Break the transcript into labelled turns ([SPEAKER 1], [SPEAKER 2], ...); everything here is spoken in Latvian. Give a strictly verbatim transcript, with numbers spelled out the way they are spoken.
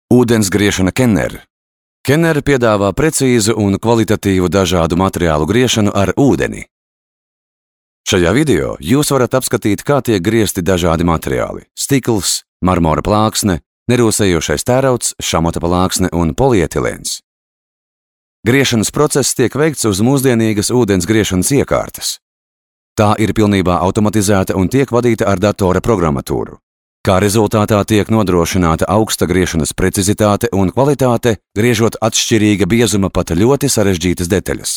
[SPEAKER 1] Ūdensgriešana Kenner. Kenner piedāvā precīzu un kvalitatīvu dažādu materiālu griešanu ar ūdeni. Šajā video jūs varat apskatīt, kā tiek griezti dažādi materiāli – stikls, marmora plāksne, nerūsējošais tērauds, šamata plāksne un polietilēns. Griešanas process tiek veikts uz mūsdienīgas ūdens griešanas iekārtas. Tā ir pilnībā automatizēta un tiek vadīta ar datora programmatūru. Kā rezultātā tiek nodrošināta augsta griešanas precizitāte un kvalitāte, griežot atšķirīga biezuma pat ļoti sarežģītas detaļas.